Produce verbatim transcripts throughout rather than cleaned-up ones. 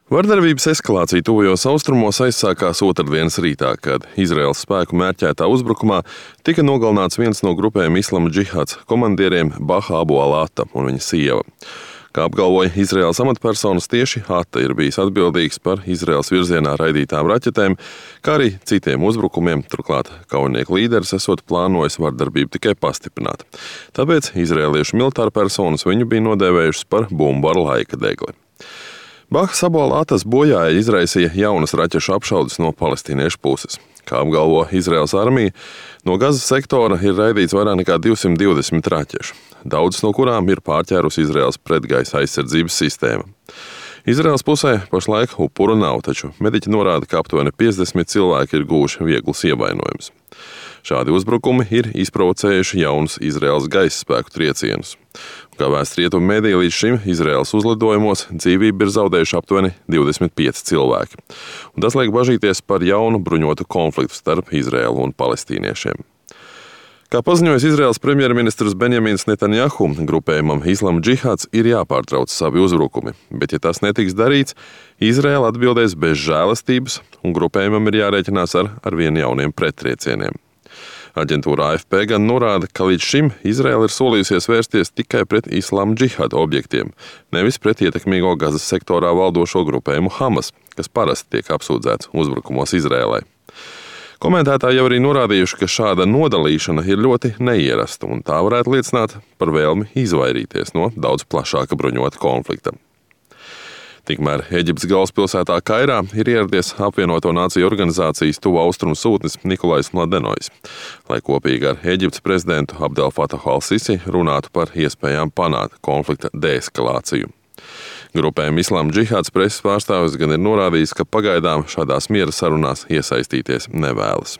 Vardarbības eskalācija tuvajos austrumos aizsākās otrdienas rītā, kad Izraēlas spēku mērķētā uzbrukumā tika nogalināts viens no grupējuma Islama džihāds komandieriem Baha Abu al-Ata un viņa sieva. Kā apgalvoja Izraēlas amatpersonas, tieši Ata ir bijis atbildīgs par Izraēlas virzienā raidītām raķetēm, kā arī citiem uzbrukumiem, turklāt kaujinieku līderis esot plānojis vardarbību tikai pastiprināt. Tāpēc izraēliešu militāra personas viņu bija nodēvējušas par bumbu ar laika degli. Bahas Abu al-Atas bojāja izraisīja jaunas raķešu apšaudes no palestīniešu puses. Kā apgalvo Izraēlas armija, no Gazas sektora ir raidīts vairāk nekā divsimt divdesmit raķešu, daudzas no kurām ir pārķērusi Izraēlas pretgaisa aizsardzības sistēma. Izraēlas pusē pašlaik upuru nav, taču mediķi norāda, ka aptuveni piecdesmit cilvēki ir guvuši vieglus ievainojumus. Šādi uzbrukumi ir izprovocējuši jaunus Izraēlas gaisa spēku triecienus. Kā vēsta rietumu mediji, līdz šim Izraēlas uzlidojumos dzīvību ir zaudējuši aptuveni divdesmit pieci cilvēki. Un tas liek bažīties par jaunu bruņotu konfliktu starp Izraēlu un palestīniešiem. Kā paziņojis Izraēlas premjerministrs Benjamins Netanjahu, grupējumam Islama džihāds ir jāpārtrauc savi uzbrukumi, bet ja tas netiks darīts, Izraēla atbildēs bez žēlastības un grupējumam ir jārēķinās ar arvien jauniem prettriecieniem. Aģentūra A F P gan norāda, ka līdz šim Izraēla ir solījusies vērsties tikai pret Islama džihāda objektiem, nevis pret ietekmīgo Gazas sektorā valdošo grupējumu Hamas, kas parasti tiek apsūdzēts uzbrukumos Izraēlai. Komentētāji jau arī norādījuši, ka šāda nodalīšana ir ļoti neierasta, un tā varētu liecināt par vēlmi izvairīties no daudz plašāka bruņota konflikta. Tikmēr Eģiptes galvaspilsētā Kairā ir ieradies apvienoto nāciju organizācijas tuvu austrumu sūtnis Nikolais Mladenojs, lai kopīgi ar Eģiptes prezidentu Abdel Fatahu al-Sisi runātu par iespējām panākt konflikta deeskalāciju. Grupējuma Islama džihāds preses pārstāvis gan ir norādījis, ka pagaidām šādās miera sarunās iesaistīties nevēlas.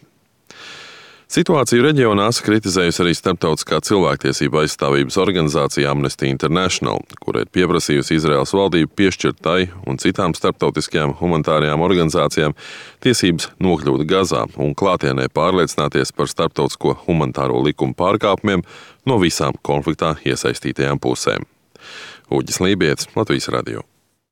Situāciju reģionās kritizējusi arī starptautiskā cilvēktiesība aizstāvības organizācija Amnesty International, kura ir pieprasījusi Izraēlas valdību piešķirt tai un citām starptautiskajām humanitārajām organizācijām tiesības nokļūt Gazā un klātienē pārliecināties par starptautisko humanitāro likumu pārkāpumiem no visām konfliktā iesaistītajām pusēm. Uģis Lībietis, Latvijas radio.